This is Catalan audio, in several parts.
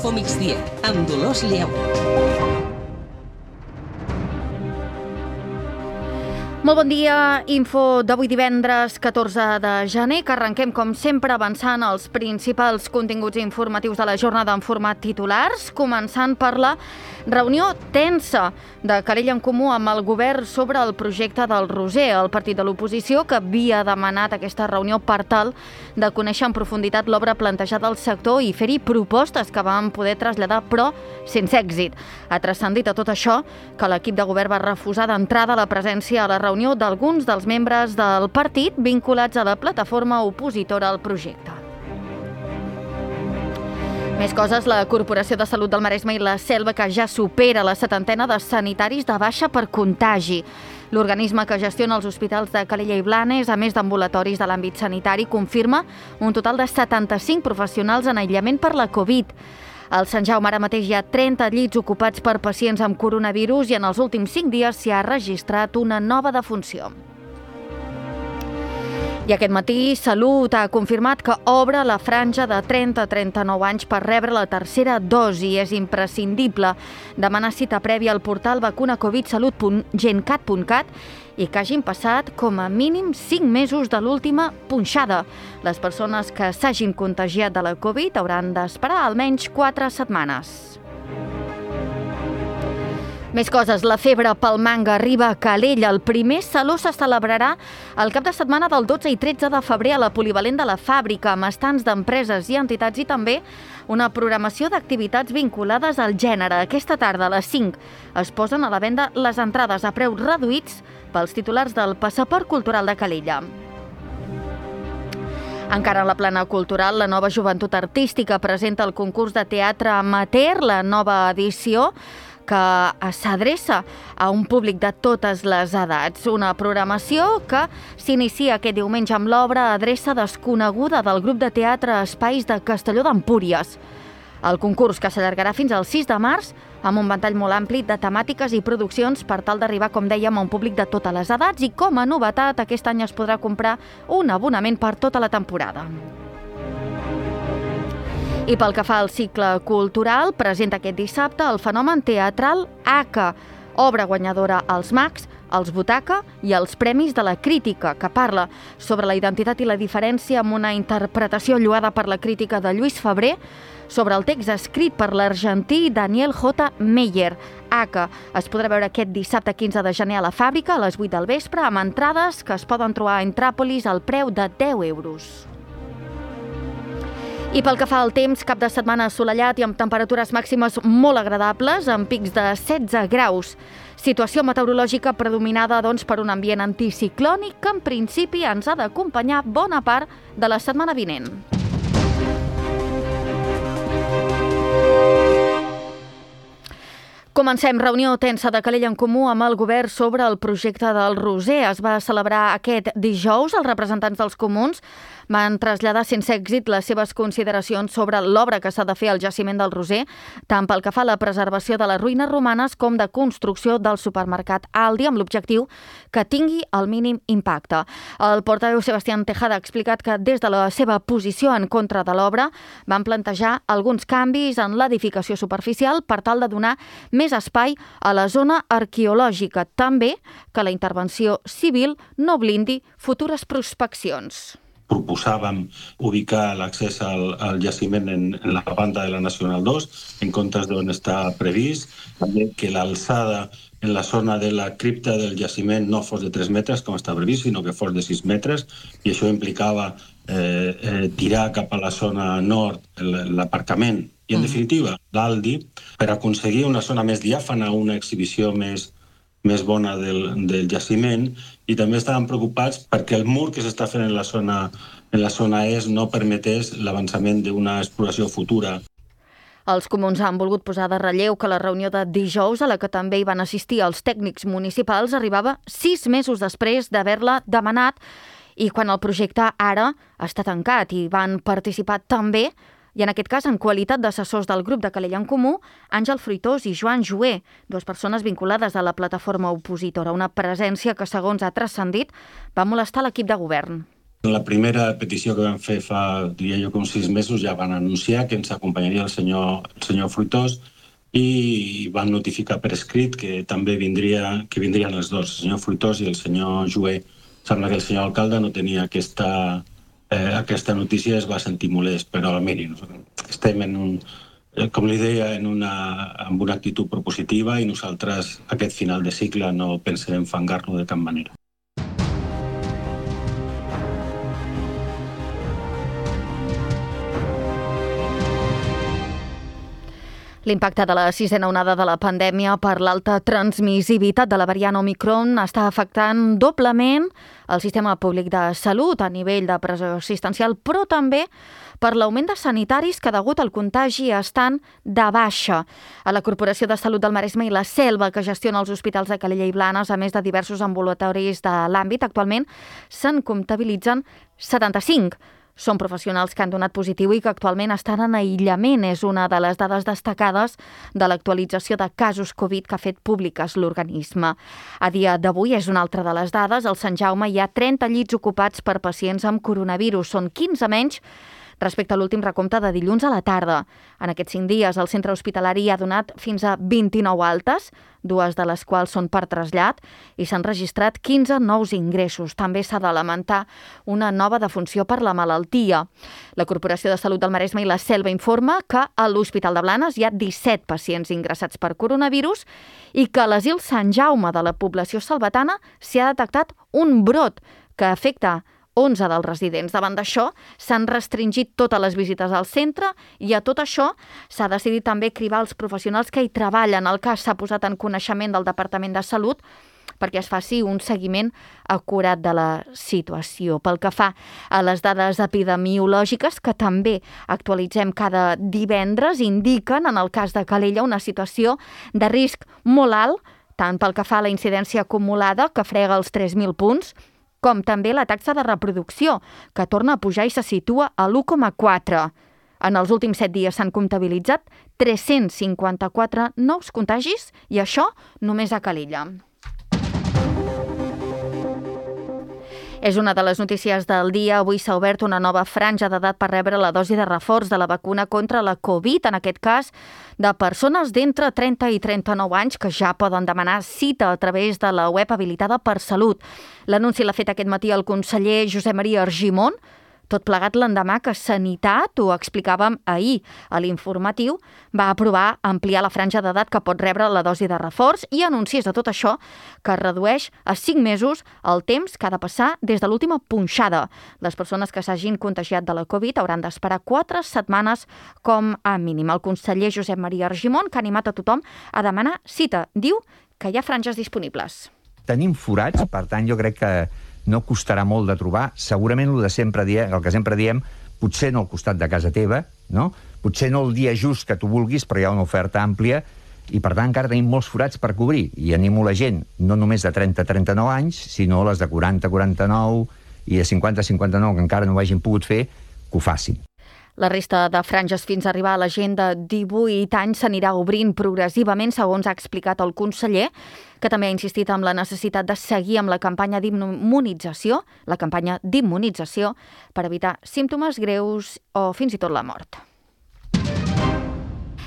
Info Migdia, amb Dolors Lleu. Molt bon dia, info d'avui divendres 14 de gener, que arrenquem com sempre avançant els principals continguts informatius de la jornada en format titulars, començant per la reunió tensa de Calella en Comú amb el govern sobre el projecte del Roser, el partit de l'oposició que havia demanat aquesta reunió per tal de conèixer en profunditat l'obra plantejada al sector i fer-hi propostes que van poder traslladar, però sense èxit. Ha transcendit a tot això que l'equip de govern va refusar d'entrada la presència a la reunió d'alguns dels membres del partit vinculats a la plataforma opositora al projecte. Més coses, la Corporació de Salut del Maresme i la Selva, que ja supera la 70ena de sanitaris de baixa per contagi. L'organisme que gestiona els hospitals de Calella i Blanes, a més d'ambulatoris de l'àmbit sanitari, confirma un total de 75 professionals en aïllament per la Covid. Al Sant Jaume ara mateix hi ha 30 llits ocupats per pacients amb coronavirus i en els últims 5 dies s'hi ha registrat una nova defunció. I aquest matí, Salut ha confirmat que obre la franja de 30 a 39 anys per rebre la tercera dosi. És imprescindible demanar cita prèvia al portal vacunacovidsalut.gencat.cat i que hagin passat com a mínim 5 mesos de l'última punxada. Les persones que s'hagin contagiat de la Covid hauran d'esperar almenys 4 setmanes. Més coses, la febre pel manga arriba a Calella. El primer saló se celebrarà el cap de setmana del 12 i 13 de febrer a la Polivalent de la Fàbrica, amb estants d'empreses i entitats i també una programació d'activitats vinculades al gènere. Aquesta tarda a les 5 es posen a la venda les entrades a preus reduïts pels titulars del Passaport Cultural de Calella. Encara en la plana cultural, la Nova Joventut Artística presenta el concurs de teatre amateur, la nova edició, que s'adreça a un públic de totes les edats. Una programació que s'inicia aquest diumenge amb l'obra Adreça desconeguda del grup de teatre Espais de Castelló d'Empúries. El concurs, que s'allargarà fins al 6 de març, amb un ventall molt ampli de temàtiques i produccions per tal d'arribar, com dèiem, a un públic de totes les edats i, com a novetat, aquest any es podrà comprar un abonament per tota la temporada. I pel que fa al cicle cultural, presenta aquest dissabte el fenomen teatral ACA, obra guanyadora als Mags, als Butaca i als Premis de la Crítica, que parla sobre la identitat i la diferència amb una interpretació lloada per la crítica de Lluís Febrer sobre el text escrit per l'argentí Daniel J. Meyer. ACA es podrà veure aquest dissabte 15 de gener a la Fàbrica a les 8 del vespre amb entrades que es poden trobar a Intràpolis al preu de 10 euros. I pel que fa al temps, cap de setmana assolellat i amb temperatures màximes molt agradables, amb pics de 16 graus. Situació meteorològica predominada, doncs, per un ambient anticiclònic que en principi ens ha d'acompanyar bona part de la setmana vinent. Comencem. Reunió tensa de Calella en Comú amb el govern sobre el projecte del Roser. Es va celebrar aquest dijous. Els representants dels comuns van traslladar sense èxit les seves consideracions sobre l'obra que s'ha de fer al jaciment del Roser, tant pel que fa a la preservació de les ruïnes romanes com de construcció del supermercat Aldi, amb l'objectiu que tingui el mínim impacte. El portaveu Sebastián Tejada ha explicat que des de la seva posició en contra de l'obra van plantejar alguns canvis en l'edificació superficial per tal de donar més espai a la zona arqueològica, també que la intervenció civil no blindi futures prospeccions. Proposàvem ubicar l'accés al jaciment en la banda de la Nacional 2, en comptes d'on està previst, també que l'alçada en la zona de la cripta del jaciment no fos de 3 metres, com està previst, sinó que fos de 6 metres, i això implicava tirar cap a la zona nord l'aparcament. I, en definitiva, l'Aldi, per aconseguir una zona més diàfana, una exhibició més bona del jaciment, i també estaven preocupats perquè el mur que s'està fent en la zona est no permetés l'avançament d'una exploració futura. Els comuns han volgut posar de relleu que la reunió de dijous, a la que també hi van assistir els tècnics municipals, arribava 6 mesos després d'haver-la demanat i quan el projecte ara està tancat, i van participar també, i en aquest cas en qualitat d'assessors del grup de Calella en Comú, Àngel Fruitós i Joan Joé, dues persones vinculades a la plataforma opositora, una presència que, segons ha transcendit, va molestar l'equip de govern. La primera petició que vam fer fa, diria jo, uns 6 mesos, ja van anunciar que ens acompanyaria el senyor Fruitós i van notificar per escrit que també vindrien els dos, el senyor Fruitós i el senyor Joué. Sembla que el senyor alcalde no tenia aquesta notícia, es va sentir molest, però miri, estem com li deia, amb una actitud propositiva i nosaltres aquest final de cicle no pensem enfangar-lo de cap manera. L'impacte de la sisena onada de la pandèmia per l'alta transmissibilitat de la variant Omicron està afectant doblement el sistema públic de salut a nivell de pressió assistencial, però també per l'augment de sanitaris que degut al contagi estan de baixa. A la Corporació de Salut del Maresme i la Selva, que gestiona els hospitals de Calella i Blanes, a més de diversos ambulatoris de l'àmbit, actualment se'n comptabilitzen 75. Són professionals que han donat positiu i que actualment estan en aïllament. És una de les dades destacades de l'actualització de casos Covid que ha fet públiques l'organisme. A dia d'avui és una altra de les dades. Al Sant Jaume hi ha 30 llits ocupats per pacients amb coronavirus. Són 15 menys respecte a l'últim recompte de dilluns a la tarda. En aquests 5 dies, el centre hospitalari ha donat fins a 29 altes, 2 de les quals són per trasllat, i s'han registrat 15 nous ingressos. També s'ha de lamentar una nova defunció per la malaltia. La Corporació de Salut del Maresme i la Selva informa que a l'Hospital de Blanes hi ha 17 pacients ingressats per coronavirus i que a l'Asil Sant Jaume de la població salvatana s'hi ha detectat un brot que afecta 11 dels residents. Davant d'això, s'han restringit totes les visites al centre i a tot això s'ha decidit també cribar els professionals que hi treballen. El cas s'ha posat en coneixement del Departament de Salut perquè es faci un seguiment acurat de la situació. Pel que fa a les dades epidemiològiques, que també actualitzem cada divendres, indiquen, en el cas de Calella, una situació de risc molt alt, tant pel que fa a la incidència acumulada, que frega els 3.000 punts, com també la taxa de reproducció, que torna a pujar i se situa a l'1,4. En els últims 7 dies s'han comptabilitzat 354 nous contagis i això només a Calella. És una de les notícies del dia. Avui s'ha obert una nova franja d'edat per rebre la dosi de reforç de la vacuna contra la Covid, en aquest cas de persones d'entre 30 i 39 anys que ja poden demanar cita a través de la web habilitada per Salut. L'anunci l'ha fet aquest matí el conseller Josep Maria Argimon, tot plegat l'endemà que Sanitat, ho explicàvem ahir a l'informatiu, va aprovar ampliar la franja d'edat que pot rebre la dosi de reforç i anunciés de tot això que redueix a 5 mesos el temps que ha de passar des de l'última punxada. Les persones que s'hagin contagiat de la Covid hauran d'esperar 4 setmanes com a mínim. El conseller Josep Maria Argimon, que ha animat a tothom a demanar cita, diu que hi ha franges disponibles. Tenim forats, per tant, jo crec que no costarà molt de trobar. Segurament el que sempre diem, potser no al costat de casa teva, no? Potser no el dia just que tu vulguis, però hi ha una oferta àmplia i, per tant, encara tenim molts forats per cobrir. I animo la gent, no només de 30 a 39 anys, sinó les de 40 a 49 i de 50 a 59 que encara no ho hagin pogut fer, que ho facin. La resta de franges fins a arribar a la gent de 18 anys s'anirà obrint progressivament, segons ha explicat el conseller, que també ha insistit en la necessitat de seguir amb la campanya d'immunització, per evitar símptomes greus o fins i tot la mort.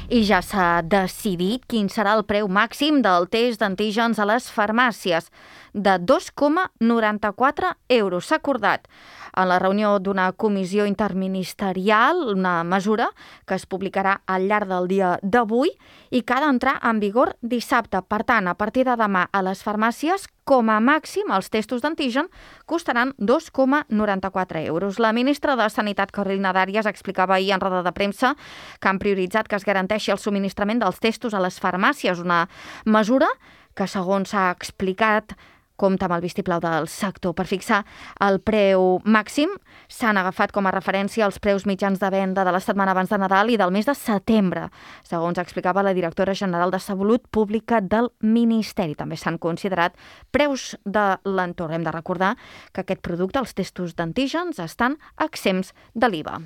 I ja s'ha decidit quin serà el preu màxim del test d'antígens a les farmàcies, de 2,94 €. S'ha acordat en la reunió d'una comissió interministerial, una mesura que es publicarà al llarg del dia d'avui i que ha d'entrar en vigor dissabte. Per tant, a partir de demà a les farmàcies, com a màxim, els testos d'antigen costaran 2,94 €. La ministra de Sanitat, Carolina Dàries, explicava ahir en roda de premsa que han prioritzat que es garanteixi el subministrament dels testos a les farmàcies, una mesura que, segons s'ha explicat, compta amb el vistiplau del sector. Per fixar el preu màxim s'han agafat com a referència els preus mitjans de venda de la setmana abans de Nadal i del mes de setembre, segons explicava la directora general de Salut Pública del Ministeri. També s'han considerat preus de l'entorn. Hem de recordar que aquest producte, els testos d'antígens, estan exempts de l'IVA.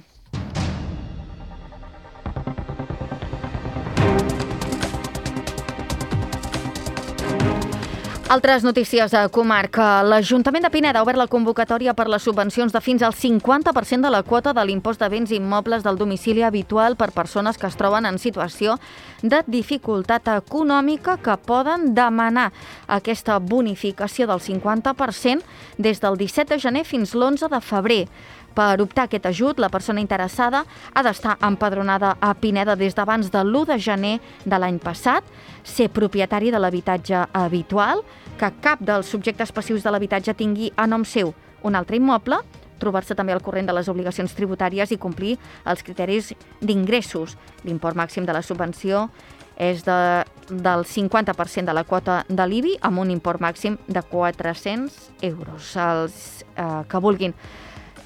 Altres notícies de comarca. L'Ajuntament de Pineda ha obert la convocatòria per les subvencions de fins al 50% de la quota de l'impost de béns immobles del domicili habitual per persones que es troben en situació de dificultat econòmica que poden demanar aquesta bonificació del 50% des del 17 de gener fins l'11 de febrer. Per optar a aquest ajut, la persona interessada ha d'estar empadronada a Pineda des d'abans de l'1 de gener de l'any passat, ser propietari de l'habitatge habitual, que cap dels subjectes passius de l'habitatge tingui a nom seu un altre immoble, trobar-se també al corrent de les obligacions tributàries i complir els criteris d'ingressos. L'import màxim de la subvenció és del 50% de la quota de l'IBI amb un import màxim de 400 euros. Els que vulguin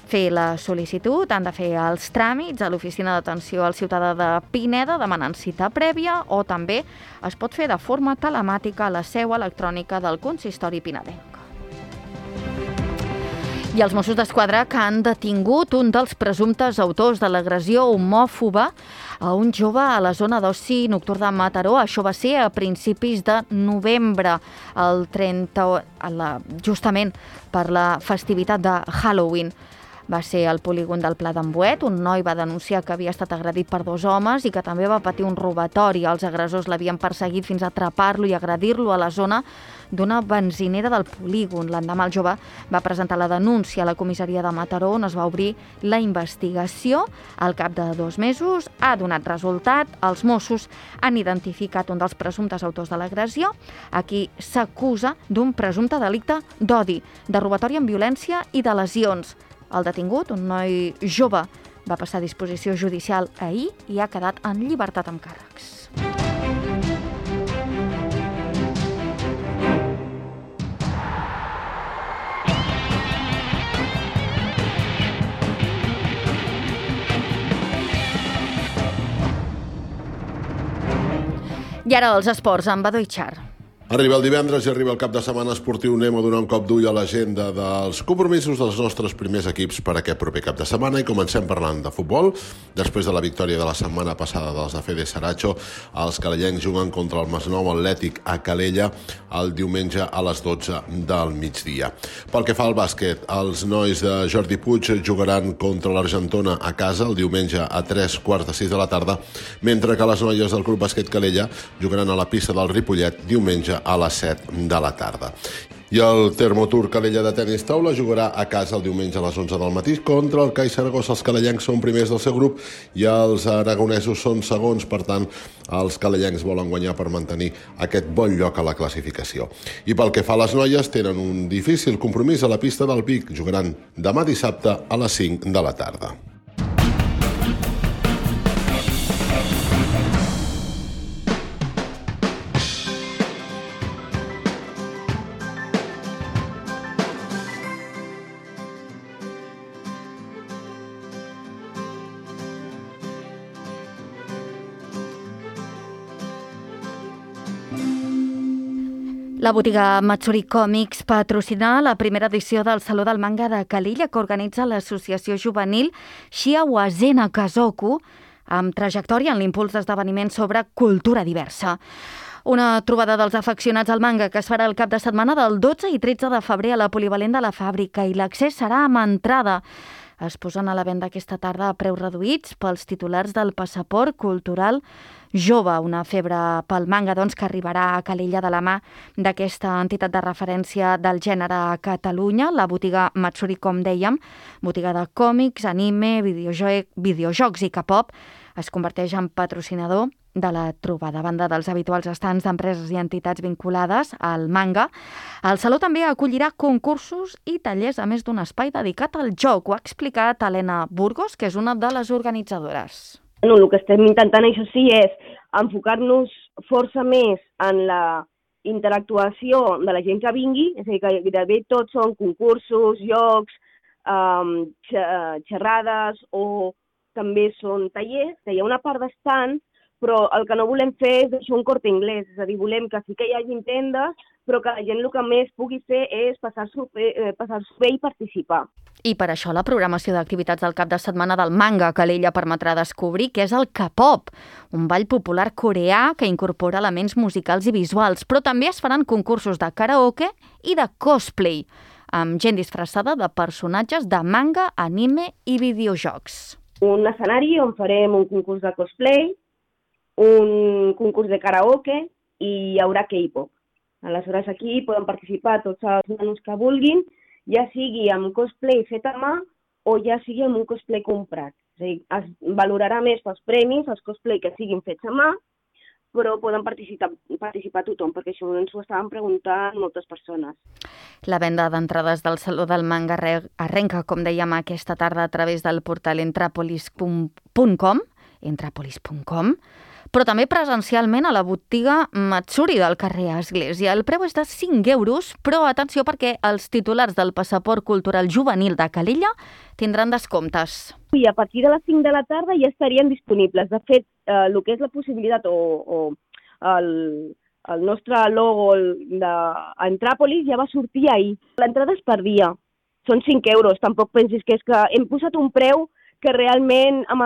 fer la sol·licitud han de fer els tràmits a l'Oficina d'Atenció al Ciutadà de Pineda demanant cita prèvia o també es pot fer de forma telemàtica a la seu electrònica del Consistori Pinedenc. I els Mossos d'Esquadra que han detingut un dels presumptes autors de l'agressió homòfoba a un jove a la zona d'oci nocturn de Mataró. Això va ser a principis de novembre, justament per la festivitat de Halloween. Va ser al polígon del Pla d'en Boet. Un noi va denunciar que havia estat agredit per 2 homes i que també va patir un robatori. Els agressors l'havien perseguit fins a atrapar-lo i agredir-lo a la zona d'una benzinera del polígon. L'endemà el jove va presentar la denúncia a la comissaria de Mataró, on es va obrir la investigació. Al cap de 2 mesos ha donat resultat. Els Mossos han identificat un dels presumptes autors de l'agressió. Aquí s'acusa d'un presumpte delicte d'odi, de robatori amb violència i de lesions. El detingut, un noi jove, va passar a disposició judicial ahir i ha quedat en llibertat amb càrrecs. I ara els esports amb Badó Itxar. Arriba el divendres i arriba el cap de setmana esportiu. Anem a donar un cop d'ull a l'agenda dels compromisos dels nostres primers equips per aquest proper cap de setmana i comencem parlant de futbol. Després de la victòria de la setmana passada dels de Fede Saracho, els calellencs juguen contra el Masnou Atlètic a Calella el diumenge a les 12 del migdia. Pel que fa al bàsquet, els nois de Jordi Puig jugaran contra l'Argentona a casa el diumenge a 3:45 de la tarda, mentre que les noies del Club Bàsquet Calella jugaran a la pista del Ripollet diumenge a les 7 de la tarda. I el Termotur Calella de tenis taula jugarà a casa el diumenge a les 11 del matí contra el CAI Saragossa. Els calellencs són primers del seu grup i els aragonesos són segons. Per tant, els calellencs volen guanyar per mantenir aquest bon lloc a la classificació. I pel que fa a les noies, tenen un difícil compromís a la pista del Vic. Jugaran demà dissabte a les 5 de la tarda. La botiga Matsuri Comics patrocina la primera edició del Saló del Manga de Calella que organitza l'associació juvenil Shiawazena Kazoku amb trajectòria en l'impuls d'esdeveniments sobre cultura diversa. Una trobada dels afeccionats al manga que es farà el cap de setmana del 12 i 13 de febrer a la polivalent de la fàbrica i l'accés serà amb entrada. Es posen a la venda aquesta tarda a preus reduïts pels titulars del passaport cultural jove, una febre pel manga doncs, que arribarà a Calella de la mà d'aquesta entitat de referència del gènere a Catalunya, la botiga Matsuri, com dèiem, botiga de còmics, anime, videojocs i K-pop, es converteix en patrocinador de la trobada. A banda dels habituals estants d'empreses i entitats vinculades al manga, el Saló també acollirà concursos i tallers, a més d'un espai dedicat al joc. Ho ha explicat Helena Burgos, que és una de les organitzadores. No, el que estem intentant, això sí, és enfocar-nos força més en la interactuació de la gent que vingui, és a dir, que gairebé tots són concursos, jocs, xerrades o també són tallers, que hi ha una part d'estands, però el que no volem fer és deixar un Corte Inglés, és a dir, volem que sí que hi hagi tendes, però que la gent el que més pugui fer és passar-s'ho bé i participar. I per això la programació d'activitats del cap de setmana del Manga Calella permetrà descobrir què és el K-pop, un ball popular coreà que incorpora elements musicals i visuals, però també es faran concursos de karaoke i de cosplay, amb gent disfressada de personatges de manga, anime i videojocs. Un escenari on farem un concurs de cosplay, un concurs de karaoke i hi haurà K-pop. Aleshores aquí poden participar tots els nanos que vulguin, ja sigui amb cosplay fet a mà o ja sigui amb un cosplay comprat. És a dir, es valorarà més pels premis, els cosplay que siguin fets a mà, però poden participar tothom, perquè això ens ho estaven preguntant moltes persones. La venda d'entrades del Saló del Manga arrenca, com dèiem, aquesta tarda a través del portal entrapolis.com, però també presencialment a la botiga Matsuri del carrer Església. El preu és de 5 euros, però atenció perquè els titulars del passaport cultural juvenil de Calella tindran descomptes. I a partir de les 5 de la tarda ja estarien disponibles. De fet, el que és la possibilitat o el nostre logo d'Entràpolis ja va sortir ahir. L'entrada és per dia, són 5 euros. Tampoc pensis que és que hem posat un preu que realment amb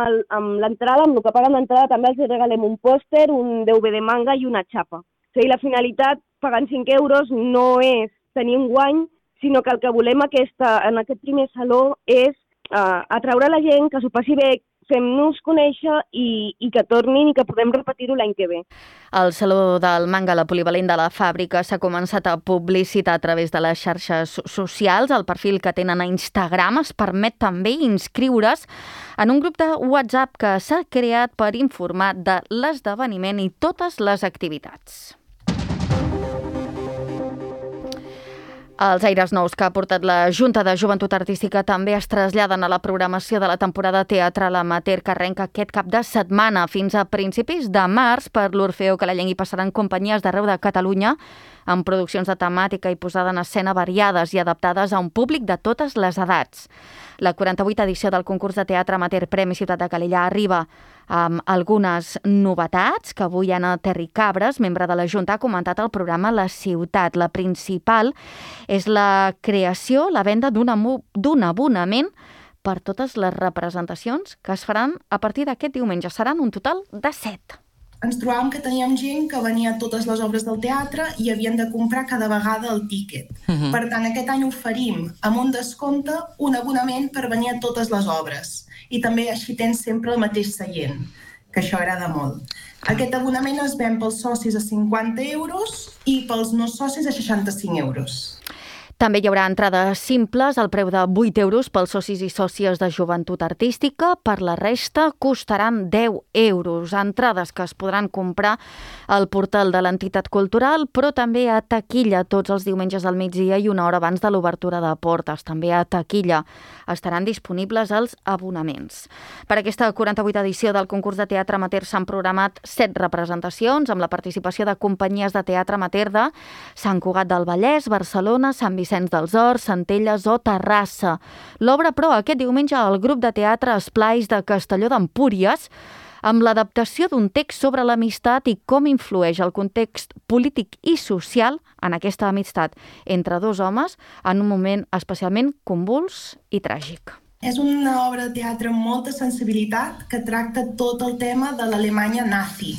l'entrada, amb el que paguen l'entrada, també els regalem un pòster, un DVD manga i una xapa. O sigui, la finalitat, pagant 5 euros, no és tenir un guany, sinó que el que volem en aquest primer saló és atraure la gent, que s'ho passi bé, fem-nos conèixer i que tornin i que podem repetir-ho l'any que ve. El Saló del Manga, la polivalent de la fàbrica, s'ha començat a publicitar a través de les xarxes socials. El perfil que tenen a Instagram es permet també inscriure's en un grup de WhatsApp que s'ha creat per informar de l'esdeveniment i totes les activitats. Els aires nous que ha portat la Junta de Joventut Artística també es traslladen a la programació de la temporada teatral amateur que arrenca aquest cap de setmana. Fins a principis de març, per l'Orfeó Calellenc hi passaran companyies d'arreu de Catalunya amb produccions de temàtica i posada en escena variades i adaptades a un públic de totes les edats. La 48a edició del concurs de teatre amateur Premi Ciutat de Calella arriba amb algunes novetats que avui Anna Terricabres, membre de la Junta, ha comentat al programa La Ciutat. La principal és la creació, la venda d'un abonament per totes les representacions que es faran a partir d'aquest diumenge. Seran un total de 7. Ens trobàvem que teníem gent que venia a totes les obres del teatre i havien de comprar cada vegada el tíquet. Per tant, aquest any oferim amb un descompte un abonament per venir a totes les obres. I també així tens sempre el mateix seient, que això agrada molt. Aquest abonament es ven pels socis a 50 euros i pels no socis a 65 euros. També hi haurà entrades simples al preu de 8 euros pels socis i sòcies de Joventut Artística. Per la resta costaran 10 euros. Entrades que es podran comprar al portal de l'entitat cultural, però també a taquilla tots els diumenges al migdia i una hora abans de l'obertura de portes. També a taquilla estaran disponibles els abonaments. Per aquesta 48a edició del concurs de teatre amateur s'han programat 7 representacions amb la participació de companyies de teatre amateur de Sant Cugat del Vallès, Barcelona, Sant Vicenç dels Horts, Centelles o Terrassa. L'obra, però, aquest diumenge al grup de teatre Esplais de Castelló d'Empúries amb l'adaptació d'un text sobre l'amistat i com influeix el context polític i social en aquesta amistat entre dos homes en un moment especialment convuls i tràgic. És una obra de teatre amb molta sensibilitat que tracta tot el tema de l'Alemanya nazi.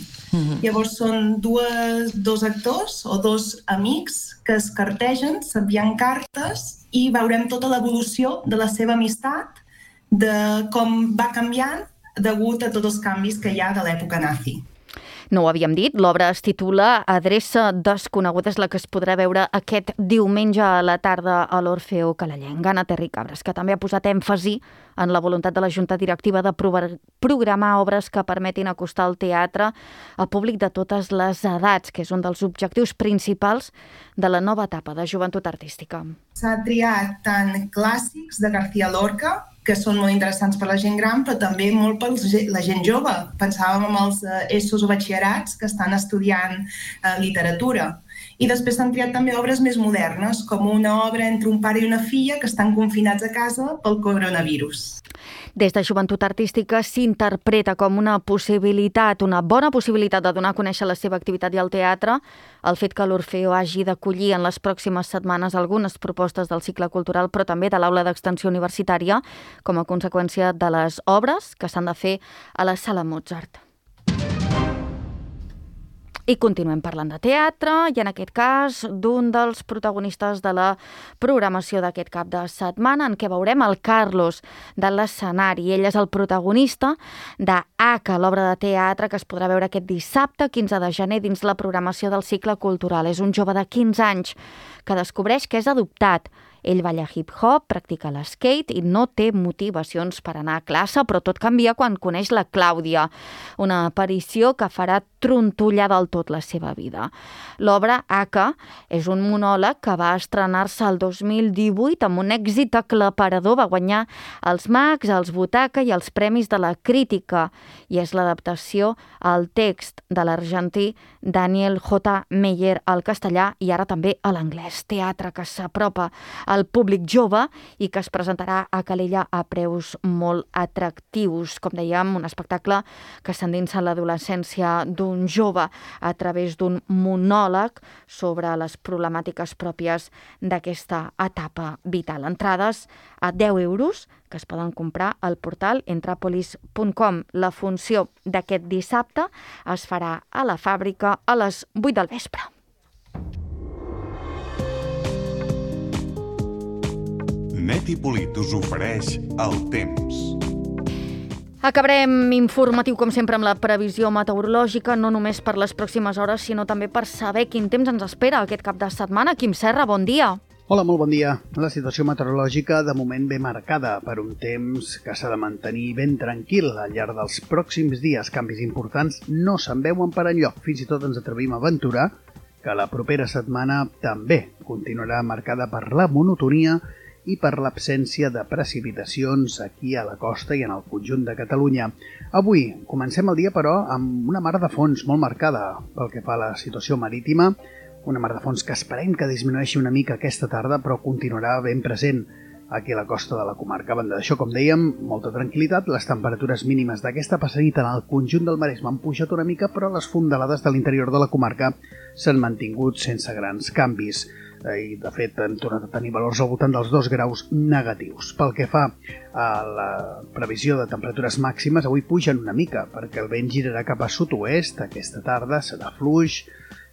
Llavors són dos actors o dos amics que es cartegen, s'envien cartes i veurem tota l'evolució de la seva amistat, de com va canviant degut a tots els canvis que hi ha de l'època nazi. No ho havíem dit, l'obra es titula Adreça desconeguda, és la que es podrà veure aquest diumenge a la tarda a l'Orfeó Calellenc. Anna Terricabres, que també ha posat èmfasi en la voluntat de la Junta Directiva de programar obres que permetin acostar el teatre a públic de totes les edats, que és un dels objectius principals de la nova etapa de Joventut Artística. S'ha triat tant clàssics de García Lorca, que són molt interessants per la gent gran, però també molt per la gent jove. Pensàvem en els ESOs o batxillerats que estan estudiant literatura. I després s'han triat també obres més modernes, com una obra entre un pare i una filla que estan confinats a casa pel coronavirus. Des de Joventut Artística s'interpreta com una bona possibilitat de donar a conèixer la seva activitat i el teatre, el fet que l'Orfeó hagi d'acollir en les pròximes setmanes algunes propostes del cicle cultural, però també de l'aula d'extensió universitària, com a conseqüència de les obres que s'han de fer a la Sala Mozart. I continuem parlant de teatre, i en aquest cas d'un dels protagonistes de la programació d'aquest cap de setmana, en què veurem el Carlos de l'escenari. Ell és el protagonista de Aka, l'obra de teatre que es podrà veure aquest dissabte, 15 de gener, dins la programació del cicle cultural. És un jove de 15 anys que descobreix que és adoptat. Ell balla hip-hop, practica l'skate i no té motivacions per anar a classe, però tot canvia quan coneix la Clàudia, una aparició que farà trontollar del tot la seva vida. L'obra Aka és un monòleg que va estrenar-se el 2018 amb un èxit aclaparador, va guanyar els Max, els Butaca i els Premis de la Crítica, i és l'adaptació al text de l'argentí Daniel J. Meyer al castellà i ara també a l'anglès. Teatre que s'apropa al públic jove i que es presentarà a Calella a preus molt atractius. Com dèiem, un espectacle que s'endinsa en l'adolescència d'un jove a través d'un monòleg sobre les problemàtiques pròpies d'aquesta etapa vital. Entrades a 10 euros que es poden comprar al portal entrapolis.com. La funció d'aquest dissabte es farà a la Fàbrica a les 8 del vespre. Net i Polit us ofereix el temps. Acabarem informatiu, com sempre, amb la previsió meteorològica, no només per les pròximes hores, sinó també per saber quin temps ens espera aquest cap de setmana. Quim Serra, bon dia. Hola, molt bon dia. La situació meteorològica de moment ve marcada per un temps que s'ha de mantenir ben tranquil al llarg dels pròxims dies. Canvis importants no se'n veuen per enlloc. Fins i tot ens atrevim a aventurar que la propera setmana també continuarà marcada per la monotonia i per l'absència de precipitacions aquí a la costa i en el conjunt de Catalunya. Avui comencem el dia, però, amb una mar de fons molt marcada pel que fa a la situació marítima, una mar de fons que esperem que disminueixi una mica aquesta tarda, però continuarà ben present aquí a la costa de la comarca. A banda d'això, com dèiem, molta tranquil·litat. Les temperatures mínimes d'aquesta passada en el conjunt del Maresme han pujat una mica, però les fondalades de l'interior de la comarca s'han mantingut sense grans canvis. I, de fet, hem tornat a tenir valors al voltant dels 2 graus negatius. Pel que fa a la previsió de temperatures màximes, avui pugen una mica, perquè el vent girarà cap a sud-oest, aquesta tarda serà fluix,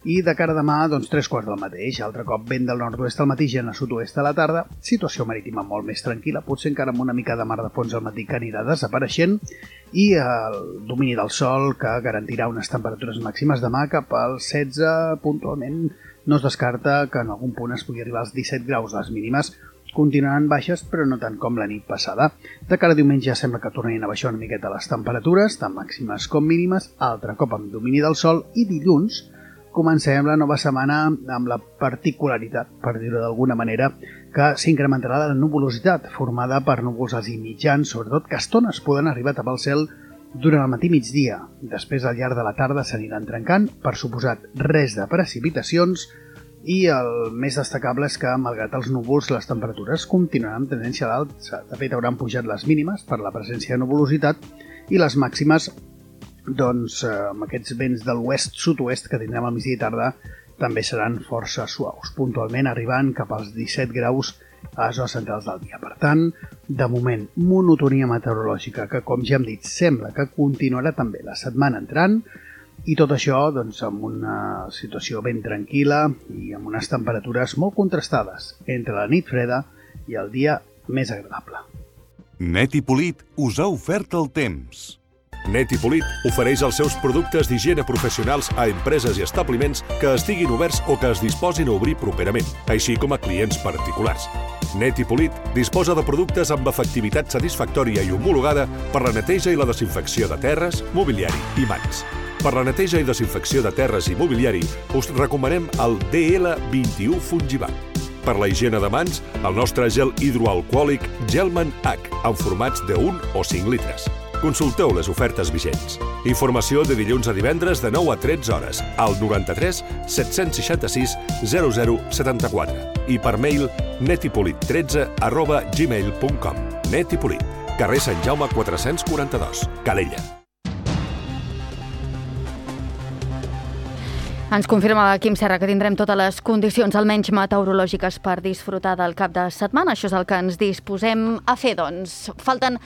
i de cara a demà, 3/4 del mateix. Altre cop vent del nord-oest al matí, gent a sud-oest a la tarda, situació marítima molt més tranquil·la, potser encara amb una mica de mar de fons al matí que anirà desapareixent, i el domini del sol que garantirà unes temperatures màximes demà cap als 16 puntualment. No es descarta que en algun punt es pugui arribar als 17 graus. Les mínimes continuaran baixes, però no tant com la nit passada. De cara a diumenge sembla que tornin a baixar una miqueta les temperatures, tant màximes com mínimes, altre cop amb domini del sol, i dilluns comencem la nova setmana amb la particularitat, per dir-ho d'alguna manera, que s'incrementarà la nuvolositat, formada per núvols alts i mitjans, sobretot que a estones poden arribar a tapar el cel durant el matí migdia. Després, al llarg de la tarda, s'aniran trencant, per suposat res de precipitacions, i el més destacable és que, malgrat els núvols, les temperatures continuaran amb tendència a l'alt. De fet, hauran pujat les mínimes per la presència de nuvolositat, i les màximes, amb aquests vents de l'oest-sud-oest que tindrem al migdia i tarda, també seran força suaus, puntualment arribant cap als 17 graus a les hores centrals del dia. Per tant, de moment, monotonia meteorològica que, com ja hem dit, sembla que continuarà també la setmana entrant, i tot això amb una situació ben tranquil·la i amb unes temperatures molt contrastades entre la nit freda i el dia més agradable. Net i Polit us ha ofert el temps. Net i Polit ofereix els seus productes d'higiene professionals a empreses i establiments que estiguin oberts o que es disposin a obrir properament, així com a clients particulars. Net i Polit disposa de productes amb efectivitat satisfactòria i homologada per la neteja i la desinfecció de terres, mobiliari i mans. Per la neteja i desinfecció de terres i mobiliari us recomanem el DL21 Fungivac. Per la higiene de mans, el nostre gel hidroalcohòlic Gelman H, en formats de 1 o 5 litres. Consulteu les ofertes vigents. Informació de dilluns a divendres de 9 a 13 hores al 93 766 0074 i per mail netipolit13@gmail.com. Net i Polit, carrer Sant Jaume 442, Calella. Ens confirma Quim Serra que tindrem totes les condicions, almenys meteorològiques, per disfrutar del cap de setmana. Això és el que ens disposem a fer, doncs. Falten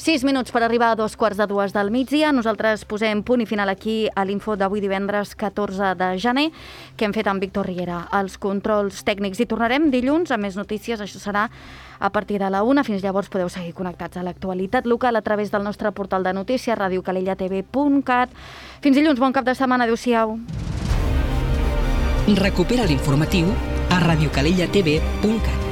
6 minuts per arribar a 2:15 del migdia. Nosaltres posem punt i final aquí a l'info d'avui divendres 14 de gener, que hem fet amb Víctor Riera als controls tècnics. I tornarem dilluns amb més notícies. Això serà a partir de la 1. Fins llavors podeu seguir connectats a l'actualitat local a través del nostre portal de notícies, radiocalellatv.cat. Fins dilluns, bon cap de setmana. Adéu-siau. Recupera l'informatiu a radiocalellatv.cat.